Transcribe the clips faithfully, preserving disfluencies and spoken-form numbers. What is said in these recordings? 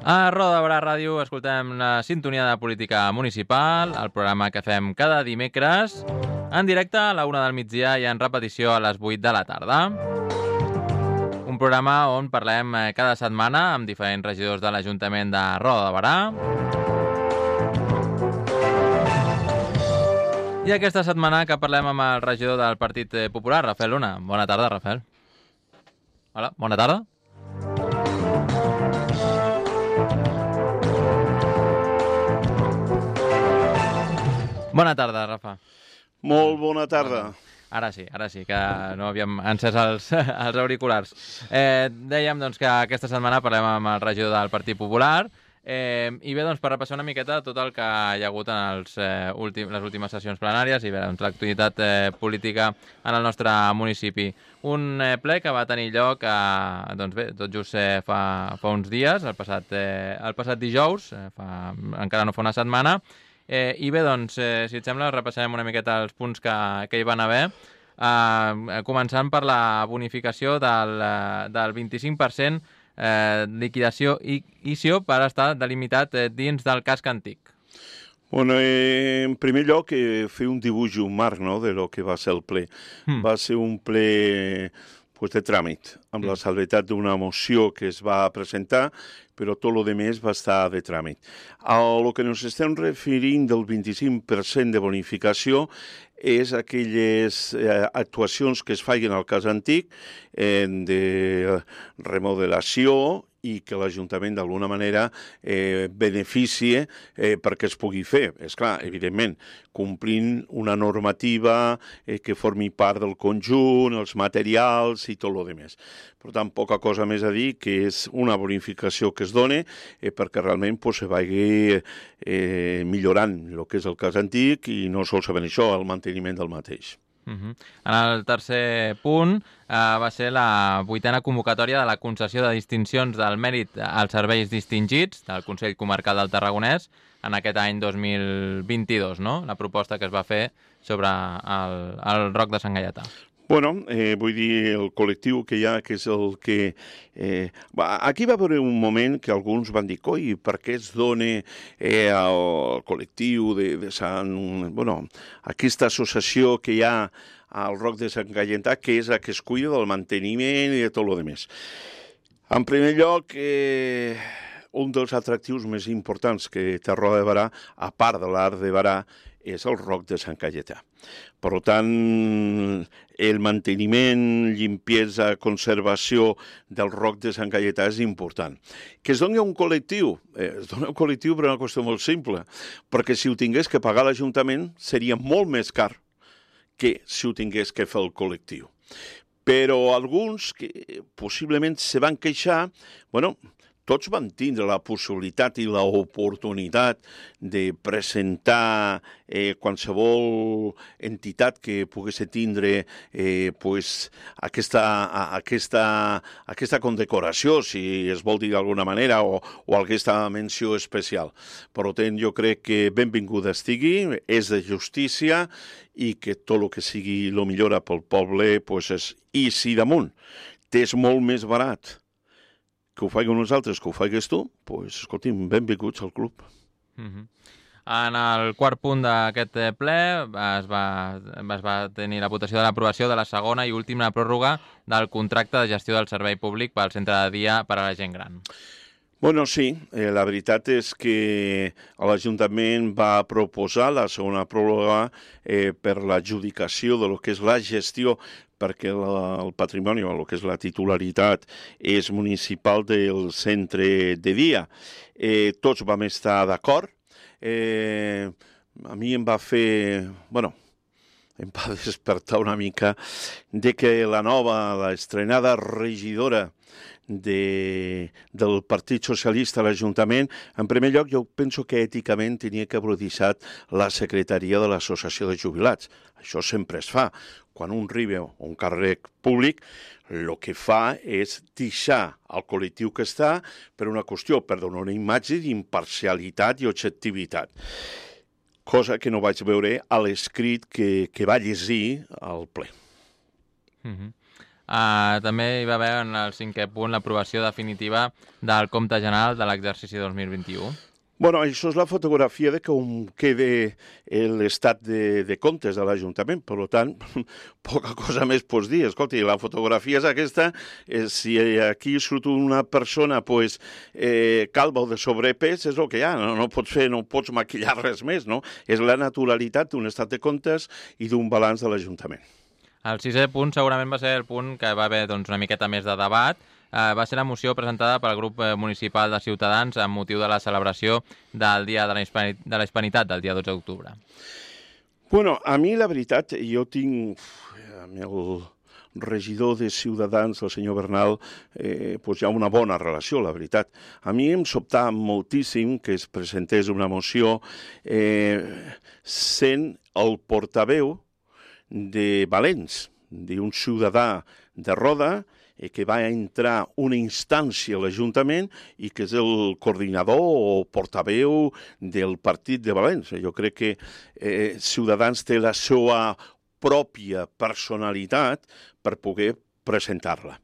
A Roda de Barà Ràdio escoltem la sintonia de política municipal, el programa que fem cada dimecres, en directe a la una del migdia i en repetició a les vuit de la tarda. Un programa on parlem cada setmana amb diferents regidors de l'Ajuntament de Roda de Barà. I aquesta setmana que parlem amb el regidor del Partit Popular, Rafael Luna. Bona tarda, Rafael. Hola, bona tarda. Bona tarda, Rafa. Molt bona tarda. Ara sí, ara sí, que no havíem encès els, els auriculars. Eh, dèiem doncs, que aquesta setmana parlem amb el regidor del Partit Popular eh, i bé, doncs, per repassar una miqueta tot el que hi ha hagut en els, eh, últim, les últimes sessions plenàries i bé, doncs, l'actualitat eh, política en el nostre municipi. Un eh, ple que va tenir lloc eh, doncs bé, tot just eh, fa, fa uns dies, el passat, eh, el passat dijous, eh, fa, encara no fa una setmana. Eh, I bé, doncs, eh, si et sembla, repassarem una miqueta els punts que, que hi van haver, eh, començant per la bonificació del, del vint-i-cinc per cent eh, liquidació i I C I O per estar delimitat eh, dins del casc antic. Bueno, eh, en primer lloc, eh, fer un dibuix i un marc, no?, de lo que va ser el ple. Mm. Va ser un ple pues, de tràmit, amb mm. la salvetat d'una moció que es va presentar, però tot el més va estar de tràmit. A lo que ens estem referint del vint-i-cinc per cent de bonificació és aquelles eh, actuacions que es facin al cas antic eh, de remodelació i que l'Ajuntament d'alguna manera eh, beneficie eh, perquè es pugui fer. És clar, evidentment, complint una normativa eh, que formi part del conjunt, els materials i tot el més. Per tant, poca cosa més a dir, que és una bonificació que es dona eh, perquè realment pues, se vagi eh, millorant el que és el cas antic i no solament això, el manteniment del mateix. Uh-huh. En el tercer punt eh, va ser la vuitena convocatòria de la concessió de distincions del mèrit als serveis distingits del Consell Comarcal del Tarragonès en aquest any dos mil vint-i-dos, no? La proposta que es va fer sobre el, el Roc de Sant Gaietà. Bueno, eh, vull dir, el col·lectiu que hi ha, que és el que... Eh, aquí va haver un moment que alguns van dir, coi, per què es dona eh, al col·lectiu de, de Sant... Bueno, aquesta associació que hi ha al Roc de Sant Gaietà, que és la que es cuida del manteniment i de tot el més. En primer lloc, eh, un dels atractius més importants que té Roda de Barà, a part de l'art de Barà, és el Roc de Sant Gaietà. Per tant, el manteniment, limpiesa, conservació del Roc de Sant Gaietà és important. Que es doni un col·lectiu, eh, es dona un col·lectiu per una qüestió molt simple, perquè si ho tingués que pagar l'Ajuntament seria molt més car que si ho tingués que fer el col·lectiu. Però alguns que possiblement se van queixar, bueno, tots van tindre la possibilitat i l'oportunitat de presentar eh, qualsevol entitat que pogués tindre eh, pues, aquesta, aquesta, aquesta condecoració, si es vol dir d'alguna manera, o, o aquesta menció especial. Per tant, jo crec que benvinguda estigui, és de justícia i que tot el que sigui el millor pel poble pues, és... I si damunt t'és molt més barat que ho faiguem nosaltres, que ho faigues tu, doncs, pues, escolti'm, benvinguts al club. Uh-huh. En el quart punt d'aquest ple es va, es va tenir la votació de l'aprovació de la segona i última pròrroga del contracte de gestió del servei públic pel centre de dia per a la gent gran. Bueno, sí, eh, la veritat és que l'Ajuntament va proposar la segona pròrroga eh, per l'adjudicació de lo que és la gestió, perquè la, el patrimoni, o el que és la titularitat, és municipal del centre de dia. Eh, tots vam estar d'acord. Eh, a mi em va fer... Bueno, em va despertar una mica de que la nova, l'estrenada regidora de, del Partit Socialista a l'Ajuntament, en primer lloc jo penso que èticament tenia que haver deixat la secretaria de l'Associació de Jubilats. Això sempre es fa. Quan un arriba a un càrrec públic, el que fa és deixar el col·lectiu que està per una qüestió, per donar una imatge d'imparcialitat i objectivitat. Cosa que no vaig veure a l'escrit que, que va llegir al ple. Mm-hmm. Uh, també hi va haver en el cinquè punt l'aprovació definitiva del compte general de l'exercici dos mil vint-i-u. Bueno, això és la fotografia de com queda l'estat de, de comptes de l'Ajuntament. Per tant, poca cosa més pots dir. Escolta, la fotografia és aquesta. Eh, si aquí surt una persona pues, eh, calva o de sobrepès, és el que hi ha. No, no pots fer, no pots maquillar res més, no? És la naturalitat d'un estat de comptes i d'un balanç de l'Ajuntament. El sisè punt segurament va ser el punt que va haver doncs, una miqueta més de debat. Uh, va ser la moció presentada pel grup municipal de Ciutadans amb motiu de la celebració del Dia de la, Hispani de la Hispanitat, del dia dotze d'octubre. Bueno, a mi la veritat, jo tinc amb el regidor de Ciutadans, el senyor Bernal, eh, pues hi ha una bona relació, la veritat. A mi em sobtà moltíssim que es presentés una moció eh, sent el portaveu de Valens, d'un ciutadà de Roda, eh, que va entrar una instància a l'Ajuntament i que és el coordinador o portaveu del partit de València. Jo crec que eh, Ciutadans té la seva pròpia personalitat per poder presentar-la.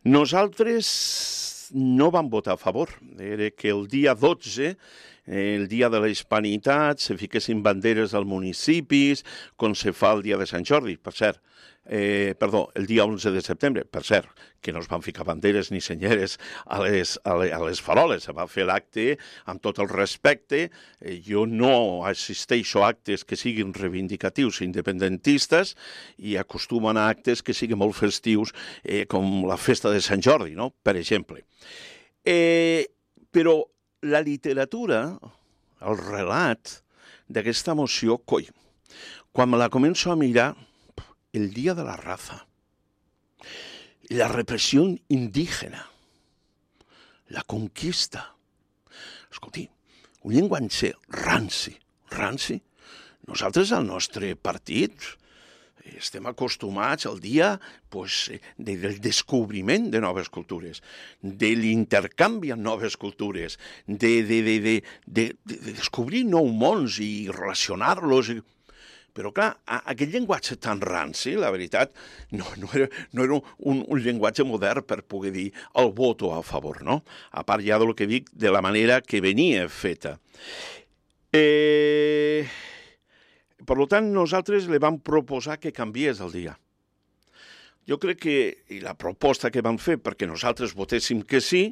Nosaltres no vam votar a favor. Era que el dia dotze, el dia de la Hispanitat, se fiquessin banderes als municipis, com se fa el dia de Sant Jordi, per cert. Eh, perdó, el dia onze de setembre, per cert, que no es van ficar banderes ni senyeres a les, a les, a les faroles, se va fer l'acte amb tot el respecte. Eh, jo no assisteixo a actes que siguin reivindicatius independentistes i acostumo a anar a actes que siguin molt festius, eh, com la festa de Sant Jordi, no?, per exemple. Eh, però la literatura, el relat d'aquesta moció, coi, quan me la començo a mirar, el Día de la Raza, la represión indígena, la conquista. Escolti, un llenguatge ranci, ranci. Nosaltres al nostre partit estem acostumats al dia pues, de, del descobriment de noves cultures, de l'intercanvi amb noves cultures, de, de, de, de, de, de descobrir nous mons i relacionar-los. Però, clar, aquest llenguatge tan ranci, la veritat, no, no era, no era un, un llenguatge modern per poder dir el voto a favor, no? A part ja del que dic, de la manera que venia feta. Eh, per tant, nosaltres li vam proposar que canviés el dia. Jo crec que, i la proposta que vam fer perquè nosaltres votéssim que sí,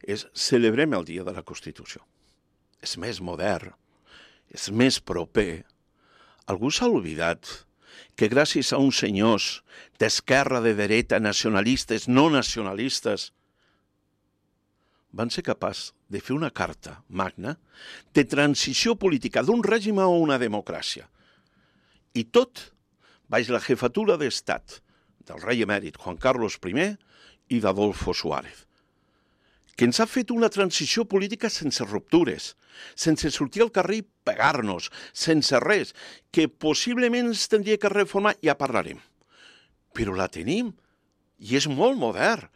és celebrem el Dia de la Constitució. És més modern, és més proper. Algú s'ha oblidat que gràcies a uns senyors d'esquerra, de dreta, nacionalistes, no nacionalistes, van ser capaços de fer una carta magna de transició política d'un règim a una democràcia. I tot baix la jefatura d'estat del rei emèrit Juan Carlos primer i d'Adolfo Suárez, que ens ha fet una transició política sense ruptures, sense sortir al carrer i pegar-nos, sense res, que possiblement ens tindria que reformar, ja parlarem. Però la tenim, i és molt modern,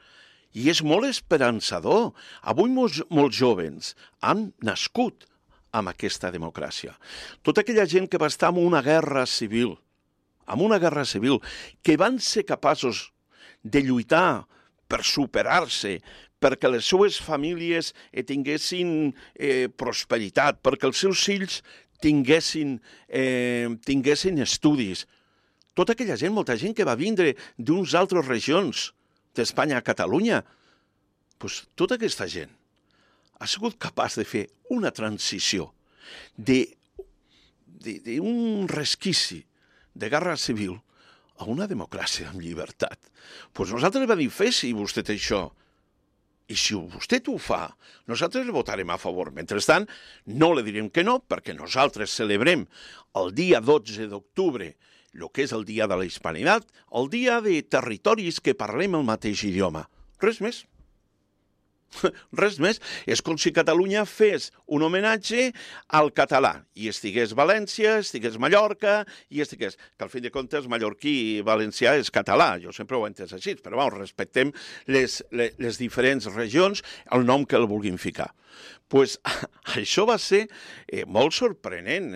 i és molt esperançador. Avui molts, molts jovens han nascut amb aquesta democràcia. Tota aquella gent que va estar en una guerra civil, en una guerra civil, que van ser capaços de lluitar per superar-se, perquè les seues famílies eh, tinguessin eh, prosperitat, perquè els seus fills tinguessin, eh, tinguessin estudis. Tota aquella gent, molta gent que va vindre d'unes altres regions d'Espanya a Catalunya, pues, tota aquesta gent ha sigut capaç de fer una transició d'un resquici de guerra civil a una democràcia amb llibertat. Pues nosaltres vam dir, fes-hi vostè això. I si vostè ho fa, nosaltres le votarem a favor. Mentrestant, no le direm que no, perquè nosaltres celebrem el dia dotze d'octubre, el que és el dia de la Hispanitat, el dia de territoris que parlem el mateix idioma. Res més. Res més. És com si Catalunya fes un homenatge al català i estigués València, estigués Mallorca i estigués... Que al fin de comptes mallorquí i valencià és català, jo sempre ho he entès així, però bueno, respectem les, les, les diferents regions, el nom que el vulguin ficar. Pues, això va ser eh, molt sorprenent.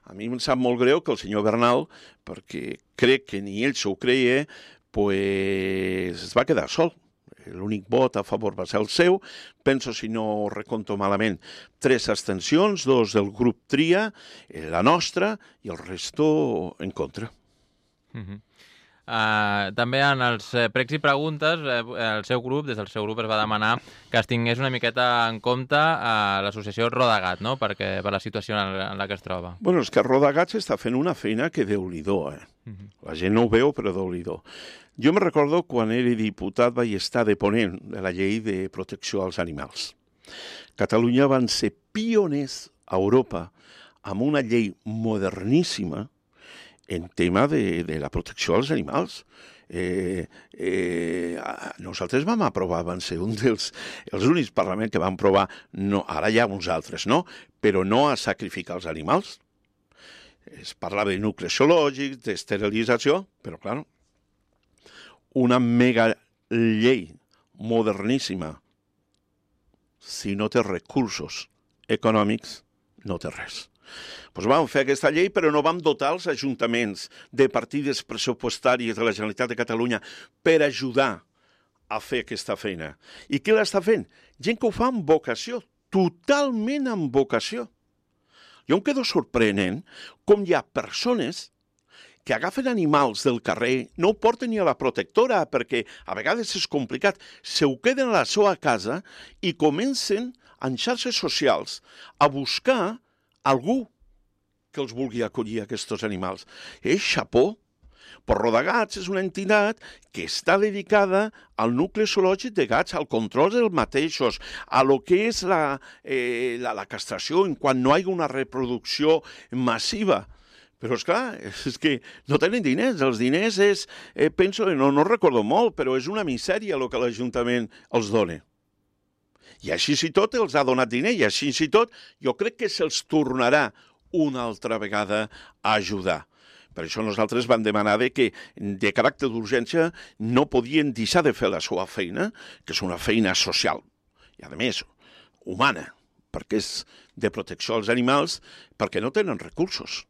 A mi em sap molt greu que el senyor Bernal, perquè crec que ni ell s'ho creia, pues, es va quedar sol. L'únic vot a favor va ser el seu. Penso, si no reconto malament, tres abstencions, dos del grup Tria, la nostra, i el resto en contra. Uh-huh. Uh, també en els eh, pregs i preguntes eh, el seu grup, des del seu grup es va demanar que es tingués una miqueta en compte a uh, l'associació Rodagat, no? Perquè, per la situació en la, en la que es troba. Bueno, és que Rodagat s'està fent una feina que déu-n'hi-do, eh? Uh-huh. La gent no ho veu, però déu-n'hi-do. Jo me recordo quan era diputat vaig estar de ponent de la llei de protecció als animals. Catalunya van ser pioners a Europa amb una llei moderníssima en tema de, de la protecció als animals. Eh, eh, nosaltres vam aprovar, van ser un dels els únics parlaments que van aprovar, no, ara hi ha uns altres, no? Però no a sacrificar els animals. Es parlava de nuclis zoològics, d'esterilització, però, clar, una mega llei moderníssima, si no té recursos econòmics, no té res. Doncs vam fer aquesta llei, però no vam dotar els ajuntaments de partides pressupostàries de la Generalitat de Catalunya per ajudar a fer aquesta feina. I qui l'està fent? Gent que ho fa amb vocació, totalment amb vocació. Jo em quedo sorprenent com hi ha persones que agafen animals del carrer, no ho porten ni a la protectora, perquè a vegades és complicat, se ho queden a la seva casa i comencen en xarxes socials a buscar algú que els vulgui acollir aquests animals. És xapó. Però Rodagats és una entitat que està dedicada al nucli zoològic de gats, al control dels mateixos, a lo que és la, eh, la, la castració en quan no hi ha una reproducció massiva. Però, esclar, és que no tenen diners. Els diners és, eh, penso, no, no recordo molt, però és una misèria el que l'Ajuntament els dona. I així i tot els ha donat diner, i així i tot jo crec que se'ls tornarà una altra vegada a ajudar. Per això nosaltres vam demanar que, de caràcter d'urgència, no podien deixar de fer la seva feina, que és una feina social, i a més, humana, perquè és de protecció als animals, perquè no tenen recursos.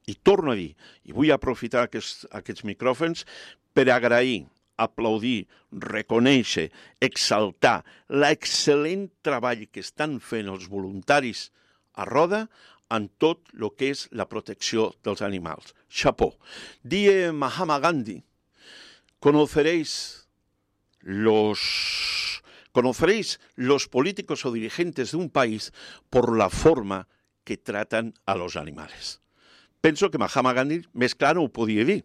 I torno a dir, i vull aprofitar aquests, aquests micròfons per agrair, aplaudir, reconèixer, exaltar l'excel·lent treball que estan fent els voluntaris a Roda en tot el que és la protecció dels animals. Chapó. Die Mahatma Gandhi, conoceréis los, conoceréis los políticos o dirigentes de un país por la forma que tratan a los animales. Penso que Mahatma Gandhi més clar no ho podia dir.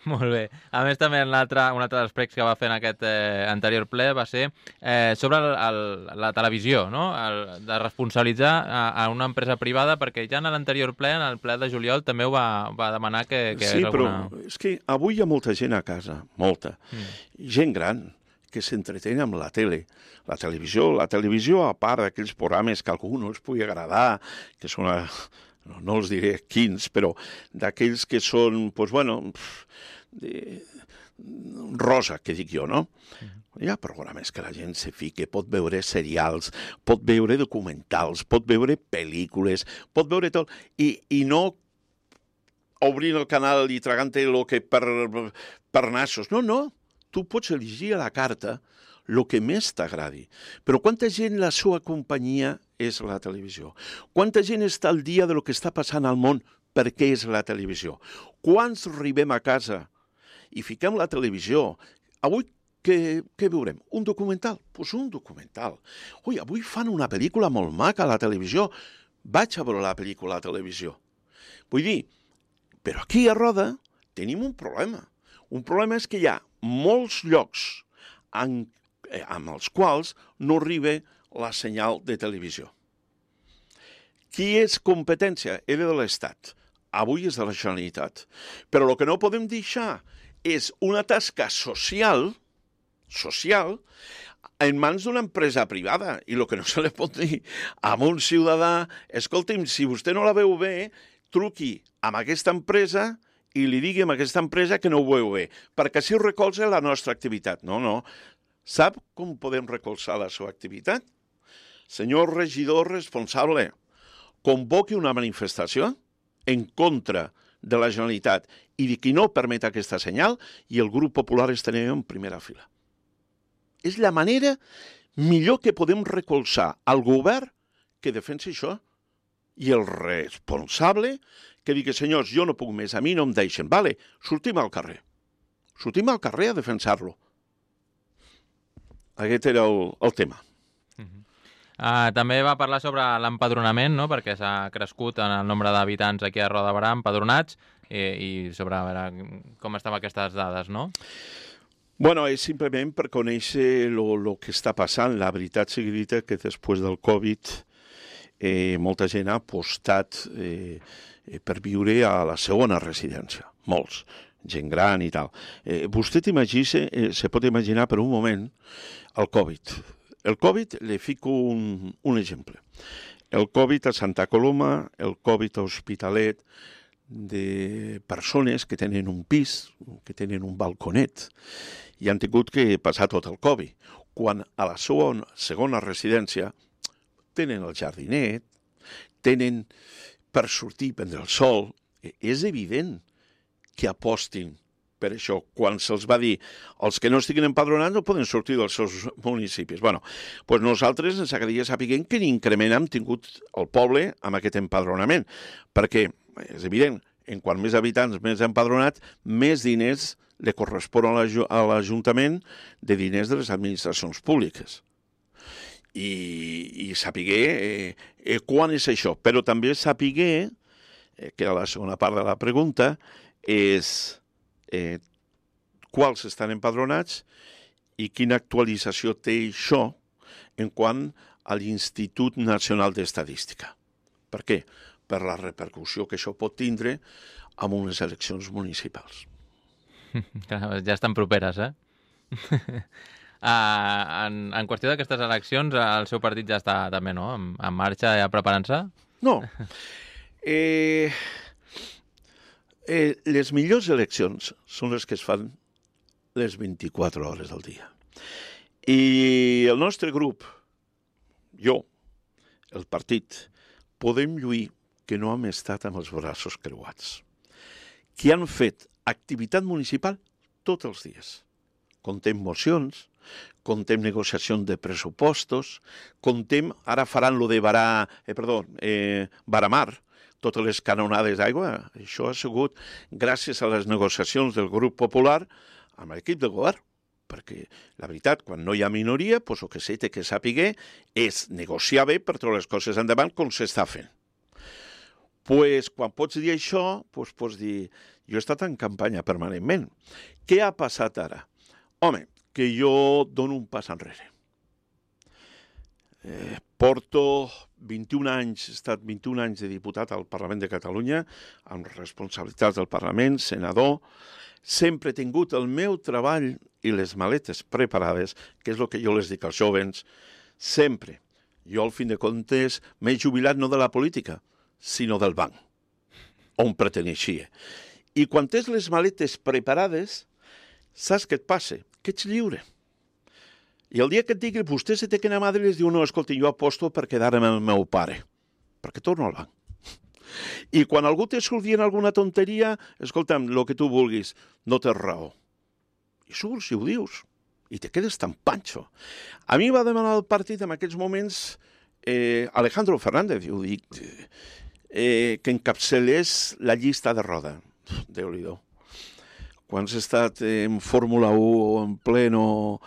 Molt bé. A més, també un altre, un altre dels pregs que va fer en aquest eh, anterior ple va ser eh, sobre el, el, la televisió, no? El, de responsabilitzar a, a una empresa privada, perquè ja en l'anterior ple, en el ple de juliol, també ho va, va demanar que, que sí, és alguna... però és que avui hi ha molta gent a casa, molta. Mm. Gent gran que s'entretén amb la tele, la televisió. La televisió, a part d'aquells programes que a algú no els pugui agradar, que són... A... No, no els diré quins, però d'aquells que són, doncs, bueno, de... rosa, que dic jo, no? Hi ha programes que la gent se fique, pot veure serials, pot veure documentals, pot veure pel·lícules, pot veure tot, i, i no obrint el canal i tragant-te el que per, per nassos. No, no, tu pots elegir a la carta el que més t'agradi. Però quanta gent la seva companyia és la televisió? Quanta gent està al dia de lo que està passant al món perquè és la televisió? Quants arribem a casa i fiquem la televisió? Avui què, què veurem? Un documental? Doncs pues un documental. Ui, avui fan una pel·lícula molt maca a la televisió. Vaig a veure la pel·lícula a la televisió. Vull dir, però aquí a Roda tenim un problema. Un problema és que hi ha molts llocs en amb els quals no arriba la senyal de televisió. Qui és competència? Era de l'Estat. Avui és de la Generalitat. Però el que no podem deixar és una tasca social, social, en mans d'una empresa privada. I el que no se li pot dir a un ciutadà, escolti'm, si vostè no la veu bé, truqui amb aquesta empresa i li digui a aquesta empresa que no ho veu bé, perquè així recolza la nostra activitat. No, no. Sap com podem recolzar la seva activitat? Senyor regidor responsable, convoqui una manifestació en contra de la Generalitat i de qui no permet aquesta senyal, i el grup popular estarem en primera fila. És la manera millor que podem recolzar al govern que defensi això, i el responsable que digui, senyors, jo no puc més, a mi no em deixen. Vale, sortim al carrer. Sortim al carrer a defensar-lo. Aquest era el, el tema. Uh-huh. Uh, també va parlar sobre l'empadronament, no? Perquè s'ha crescut en el nombre d'habitants aquí a Roda de Berà empadronats, i, i sobre a veure, com estaven aquestes dades, no? Bueno, és simplement per conèixer el que està passant. La veritat sigui dita que després del Covid eh, molta gent ha apostat eh, per viure a la segona residència. Molts. Gent gran i tal. Eh, vostè t'imagina, eh, se pot imaginar per un moment el Covid. El Covid, le fico un, un exemple. El Covid a Santa Coloma, el Covid a Hospitalet, de persones que tenen un pis, que tenen un balconet, i han tingut que passar tot el Covid. Quan a la segona, segona residència tenen el jardinet, tenen per sortir, prendre el sol, és evident que apostin per això. Quan se'ls va dir els que no estiguin empadronats no poden sortir dels seus municipis. Bueno, doncs nosaltres ens agradaria saber quin increment hem tingut el poble amb aquest empadronament, perquè és evident, en quant més habitants, més empadronats, més diners li correspon a l'Ajuntament de diners de les administracions públiques. I, i sapiguer eh, eh, quan és això, però també sapiguer, eh, que era la segona part de la pregunta, és eh, quals estan empadronats i quina actualització té això en quant a l'Institut Nacional d'Estadística. Per què? Per la repercussió que això pot tindre amb unes eleccions municipals. Ja estan properes, eh? Uh, en, en qüestió d'aquestes eleccions, el seu partit ja està també, no?, en, en marxa, ja preparant-se? No. Eh, eh, les millors eleccions són les que es fan les vint-i-quatre hores del dia. I el nostre grup, jo, el partit, podem lluir que no hem estat amb els braços creuats, que han fet activitat municipal tots els dies. Contem mocions, contem negociacions de pressupostos, contem, ara faran lo de Barà, eh, perdó, eh, Baramar, totes les canonades d'aigua. Això ha sigut gràcies a les negociacions del grup popular amb l'equip de govern, perquè la veritat, quan no hi ha minoria, doncs el que s'ha de saber és negociar bé per treure les coses endavant com s'està fent. Pues, quan pots dir això, pues, pots dir, jo he estat en campanya permanentment. Què ha passat ara? Home, que jo dono un pas enrere. Eh, porto vint-i-un anys, he estat vint-i-un anys de diputat al Parlament de Catalunya, amb responsabilitats del Parlament, senador. Sempre he tingut el meu treball i les maletes preparades, que és el que jo les dic als jovens, sempre. Jo, al fin de comptes, m'he jubilat no de la política, sinó del banc, on perteneixia. I quan tens les maletes preparades, saps què et passa? Que ets lliure. I el dia que et digui, vostè se té que anar a Madrid, diu, no, escolti, jo aposto per quedar amb el meu pare, perquè torno al banc. I quan algú te surt dient alguna tonteria, escolta'm, el que tu vulguis, no tens raó. I surts i ho dius, i te quedes tan panxo. A mi va demanar el partit en aquells moments eh, Alejandro Fernández, ho dic, eh, que encapçalés la llista de Roda. Déu-n'hi-do. Quan has estat en Fórmula u o en pleno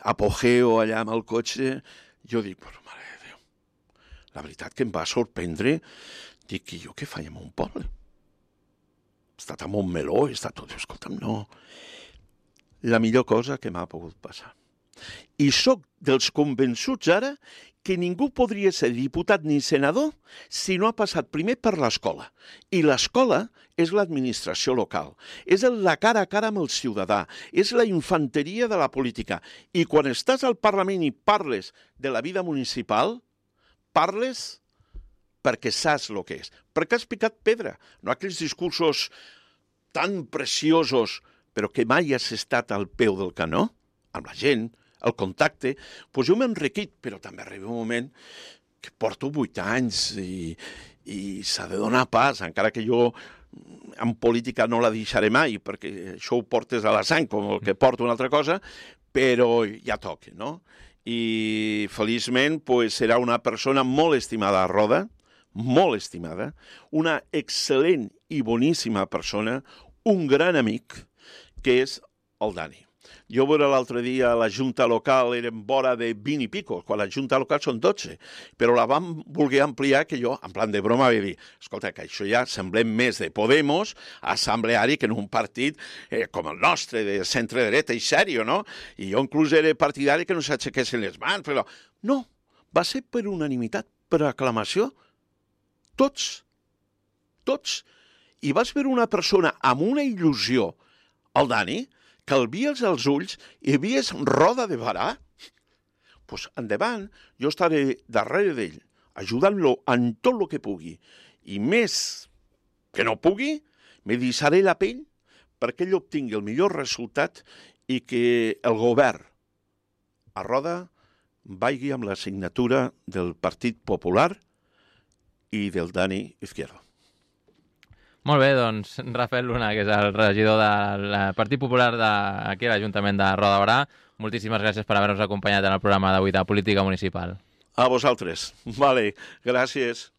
apogeo allà amb el cotxe, jo dic, però mare de Déu, la veritat que em va sorprendre, dic, i jo què faig en un poble? He estat a Montmeló, he estat tot, escolta'm, no. La millor cosa que m'ha pogut passar. I sóc dels convençuts ara que ningú podria ser diputat ni senador si no ha passat primer per l'escola. I l'escola és l'administració local, és la cara a cara amb el ciutadà, és la infanteria de la política. I quan estàs al Parlament i parles de la vida municipal, parles perquè saps el que és, perquè has picat pedra, no aquells discursos tan preciosos, però que mai has estat al peu del canó, amb la gent, el contacte, doncs jo m'he enriquit, però també arriba un moment que porto vuit anys i, i s'ha de donar pas, encara que jo en política no la deixaré mai, perquè això ho portes a la sang, com el que porta una altra cosa, però ja toca, no? I feliçment pues, serà una persona molt estimada a Roda, molt estimada, una excel·lent i boníssima persona, un gran amic, que és el Dani. Jo veure l'altre dia a la Junta Local eren vora de vint i pico, quan la Junta Local són dotze, però la vam voler ampliar que jo, en plan de broma, vaig dir, escolta, que això ja semblem més de Podemos assembleari que en un partit eh, com el nostre, de centre-dreta i sèrio, no? I jo inclús era partidari que no s'aixequessin les mans, però no, va ser per unanimitat, per aclamació, tots, tots. I vas veure una persona amb una il·lusió, el Dani, que el vies als ulls i vies Roda de Barà, doncs pues endavant, jo estaré darrere d'ell, ajudant-lo en tot el que pugui. I més que no pugui, me deixaré la pell perquè ell obtingui el millor resultat i que el govern a Roda vagi amb la signatura del Partit Popular i del Dani Izquierdo. Molt bé, doncs, Rafael Luna, que és el regidor del Partit Popular d'aquí a l'Ajuntament de Roda de Barà, moltíssimes gràcies per haver-nos acompanyat en el programa d'avui de Política Municipal. A vosaltres. Vale, gràcies.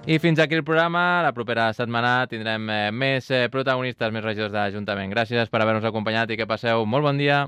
I fins aquí el programa. La propera setmana tindrem més protagonistes, més regidors de l'Ajuntament. Gràcies per haver-nos acompanyat i que passeu molt bon dia.